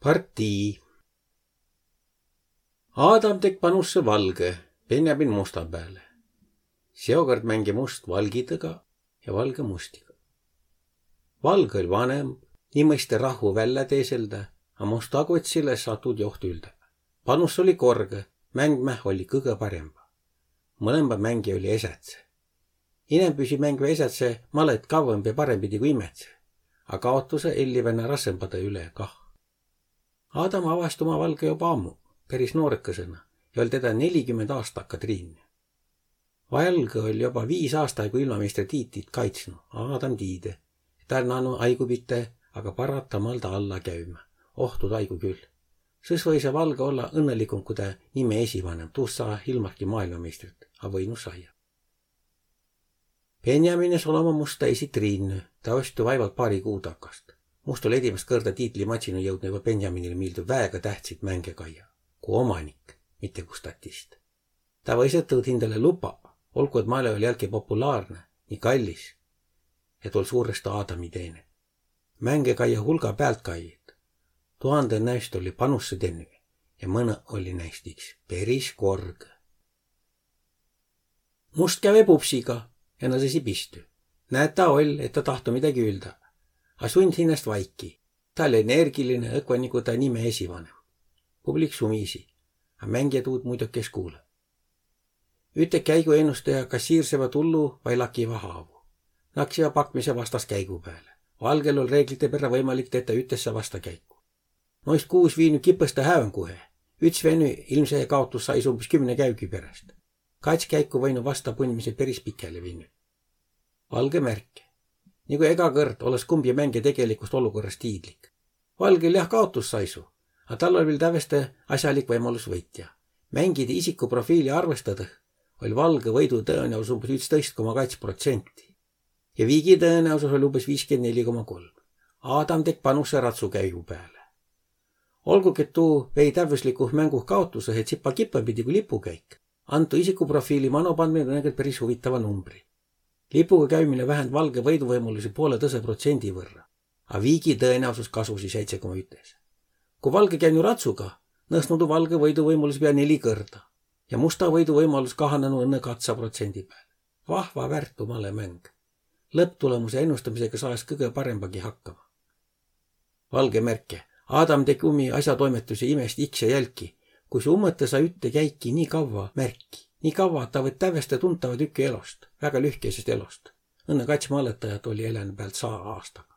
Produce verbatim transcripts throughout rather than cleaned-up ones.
Partii. Adam tekk panussõ valgõ, Benjamin musta pääle. Seokõrd mänge must valgidõga ja valgõ mustiga. Valgõ oll' vanemb, nii mõiste rahhu vällä teeseldä, a must agotsilõ es saa tuud joht üldä. Panus olli korgõ, mängmäh olli kõgõ paremba. Mõlemba mängi olli esädse. Inämbüisi mängve esädse malõt kavvõmb ja parembidi ku imädse, a kaotusõ ellivä nä rassõmbadõ üle kah. Adam avast' uma valgõ joba ammu, peris noorõkõsõna, ja oll' tedä nelikümmend aastakka triinnü. Valgõ oll' joba viis aastaigu ilmameistre tiitlit kaitsnu, a Adam tiidä, et taa naanu aigubite, aga paratamal taa alla käümä. Oh, tuud aigu kül. Sõs võisõ valgõ olla õnnõlikumb ku tä nime esivanemb, tuust saa ilmahki maailmameistrit, a võinu saia. Benjamin es olõ musta esi triinnü, tä osttu vaivalt paari kuu takast. Must oll' edimäst kõrda tiitlimatsinu jõudnu joba Benjaminile miildu väega tähtsit mänge kaia, ku omanik, mitte ku statist. Tä võis ettevõt hindale lupa, olgu et malõ oll' jälki populaarnõ, nii kallis, et oll' suurõstõ Adami teene. Mänge kaia hulga päältkaijit. Tuhandõ näist olli panusse tennü ja mõnõ olli näist iks peris korgõ. Must käve pupsiga ja nõsesi pistü. Näet, taa oll', et taa tahtnu midägi üldä. A sund hinnäst vaiki. Taa oll' energiline, õkva nigu taa nime esivanemb. Publik sumisi, a mängijä tuud muiduki es kuulõ. Üte käigu ennustaja kassiirsevä tullu vai lakiva haavu. Naksiva pakmise vastas käigu pääle. Valgel oll' reeglite perrä võimalik tetä ütesse vastakäiku. Noist kuus viinü kipõstõ häönguhe. Üts venü ilmse kaotus sais umbes kümne käügi peräst. Kats käiku võinu vasta punmise peris pikäle vinnü. Valgõ märke. Nigu ega kõrd, olõs kumbi mänge tegelikust olukõrrast tiidlik. Valgõl jah kaotus saisu, a tal oll' viil tävveste asjalik võimalus võitja. Mängide isikuprofiili arvestadõh oll' valgõ võidu tõenäosus umbes ütstõist koma kats protsenti. Ja viigi tõenäosus oll' umbes viiskümmend neli koma kolm. Adam tekk panusse ratsukäigu pääle. Olguki, et tuu vei tävvüslikuh mänguh kaotusõhe tsipa kipõmbidi ku lipukäik, antu isikuprofiili manopandmine nõnda peris huvitava numbri. Lipuga käümine vähänd valgõ võiduvõimalusi poolõ tõsõ protsendi võrra, a viigi tõenäosus kasusi seitse koma ütes. Ku valgõ käünü ratsuga, nõsnu tuu valgõ võiduvõimalusi pea neli kõrda ja musta võiduvõimalus kahanenu õnnõ katsa protsendi pääle. Vahva värtu malõ mäng. Lõpptulemuse ennustamisega saas kõgõ parembagi hakkama. Valgõ märke. Adam tekk umi asjatoimetusi imest iks ja jälki, kuis umõtõ saa ütte käiki nii kavva märki, nii kavva, et taa võtt tävveste tuntava tükü elost, väega lühkesest elost. Õnnõ kats malõtajat olli elänü päält saa aastaga.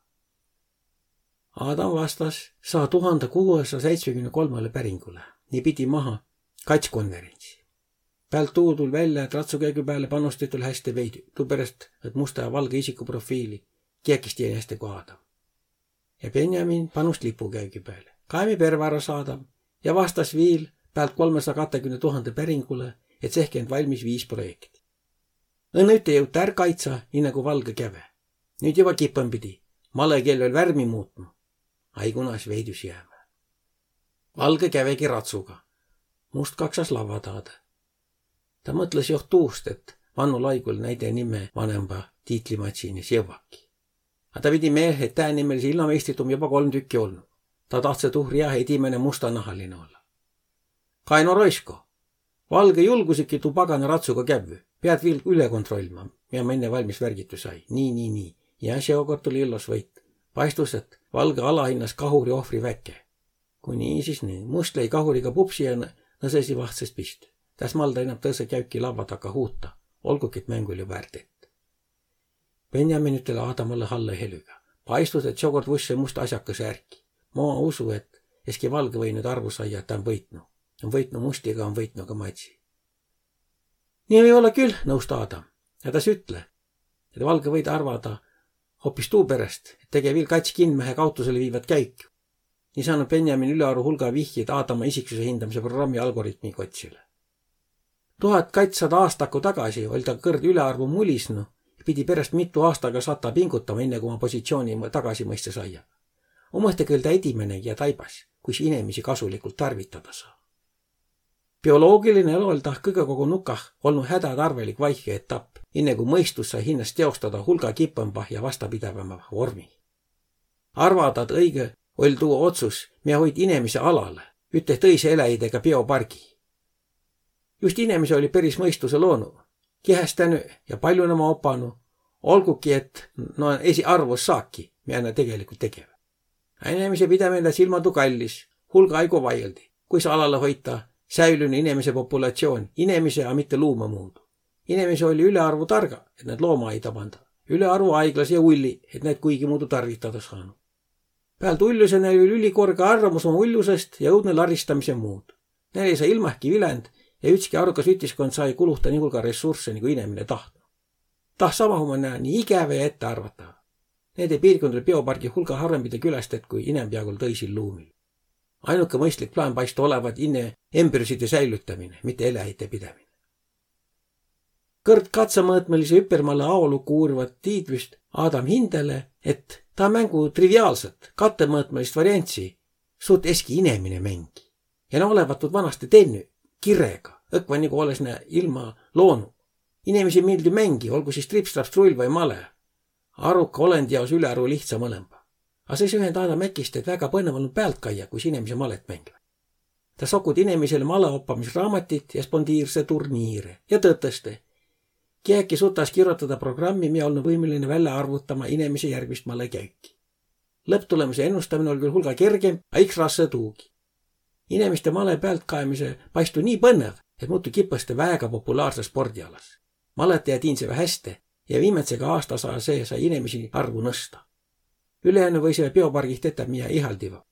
Adam vastas saa tuhande kuuesaja seitsmekümne kolmele päringule, nii pidi maha kats konverentsi. Päält tuu tull' vällä, et ratsukäigu pääle panustit oll' häste veidü, tuuperäst, et musta ja valgõ isikuprofiili kiäkis tieni häste ku Adam. Ja Benjamin panust lipukäügi pääle. Kaemi pervara saadam ja vastas viil päält kolmesaja kahtekümne tuhande päringulõ, et sehkend valmis viis projekti. Õnnõ ütte jõuti är kaitsa, nii nagu valgõ käve. Nüüt joba kipõmbidi. Malõ keel oll' värmi muutnu. Aigu naas veidüs jäämä. Valgõ kävegi ratsuga. Must kaksas lavva taadõ. Tä mõtlõs joht tuust, et vannul aigul näide nime vanemba tiitlimatsinis jõvvaki. A tä pidi meelhe, et tä nimmelisi ilmameistrit om joba kolm tükki olnu. Tä tahtsõ tuuri jah edimäne mustanahaline olla. Kaino Roisko, valgõ julgusiki tuu pagana ratsuga kävvü. Peat viil üle kontrollima, mia ma enne valmis värgitu sai. Nii, nii, nii. Ja seokord oll' illos võit. Paistus, et valgõ alahinnas kahuri ohvri väke. Kui nii, sis nii. Must lei kahuriga pupsi ja nõ-, nõsesi vahtsõst pistü. Täs malda inap tõsõ käüki lavva taka huuta, olguki et mäng oll' joba är tett. Benjamin ütel' Adamalle hallõ helüga: Paistus, et seokord vusse must asjakõsõ ärki. Ma usu, et eski valgõ või arvu saia, et tä om võitnu. Om võitnu mustiga, om võitnu ka matsi. Nii või olla kül, nõust Adam. Ja tas ütle, et valgõ võid arvada hoopis tuuperäst, et tege viil kats kinmähe kaotusele viivat käiku. Nii saanu Benjamin ülearu hulga vihkjit Adama isiksuse hindamise programmi algoritmi kotsilõ. Tuhat katssada aastakku tagasi oll' ta kõrd ülearvu mulisnu ja pidi peräst mitu aastaga sata pingutama, inne kui uma positsiooni mõ-, tagasi mõista saia. Umõhte küll ta edimäne ja taibas, kuis inemisi kasulikult tarvitada saa. Bioloogiline elu oll' tah kõgõkogo nukah olnu hädätarvelik vaihke etapp, inne kui mõistus sai hinnast teostada hulga kipõmbah ja vastapidävämbah vormih. Arvada, et õigõ oll' tuu otsus, mia hoit inemise alalõ üte tõise eläjidega biopargi. Just inemise olli peris mõistuse loonu, kihästänü ja paljunama opanu, olguki et no esi arvvus saaki, mia nä tegelikult tegevä. A inemise pidämine läts ilmadu kallis, hulga aigu vaieldi, kuis alalõ hoita säilünü inemise populatsioon inemise, a mitte luuma muudu. Inemise olli ülearvu targa, et näid looma aida panda, ülearvu aiglase ja ulli, et näid kuigi muudu tarvitada saanu. Päält ulluse näil olli ülikorge arvamus oma ullusest ja õudne laristamise muud. Näil ei saa ilmahki viländ ja ütski arukas ütiskond saa-i kuluhta nii hulga ressursse, nigu inemine tahtnu. Taht sama huma nää nii igävä ja ettearvata. Nende piirkund olli biopargi hulga harvembide külästät kui inämbjaagul tõisil luumil. Ainuke mõistlik plaan paistu olevat inne embrüside säilütämine, mitte eläjite pidämine. Kõrd katsõmõõtmõlise üpermalõ aolukku uurivat tiidvüst Adam hindäle, et taa mängu triviaalsat, katõmõõtmõlist variantsi suut eski inemine mängi. Ja nä olevat tuud vanasti tennü, kirega, õkva nigu olles nä ilma loonu. Inemisi miildü mängi, olgu sis trips-traps trull vai male. Aruka olendi jaos ülearu lihtsa mõlemba. A sõs ühen taada mäkist, et väega põnnõv olnu päält kaia, kuis inemise malet mängiva. Ta sokut inemisele maleoppamis raamatit ja spondiirse turniire ja tõtõste. Kiäki sutas kirotada programmi, mia olnu võimeline vällä arvutama inemise järgmist malekäüki. Lõpptulemuse ennustamin oll' küll hulga kergemb, a iks rassõ tuugi. Inemiste male päält kaemise paistu nii põnnõv, et muutu kipõste väega populaarse spordialas. Malete ja tiinsevä häste ja viimätsega aasta saa see sai inemisi arvu nõsta. Ülejäänu võisiva biopargih tetä mia ihaldiva.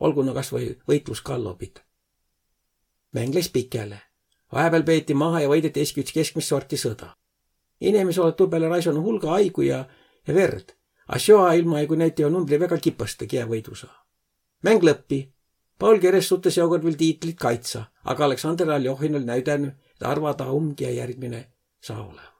Olgu no kas või võitlus kallo pit. Mäng läs pikäle. Vahepeal peeti maha ja võideti eski üts keskmist sorti sõda. Inemis oled tuu peale raisonu hulga aigu ja, ja verd. A sjoa ilmaaigu näüti jo numbri väega kipõste, kiä võidu saa. Mäng lõppi. Paul Keres sutte seokord viil tiitlit kaitsa, aga Aleksander Aljohin oll' näüdänü, et arvada um, kiä järgmine saa olema.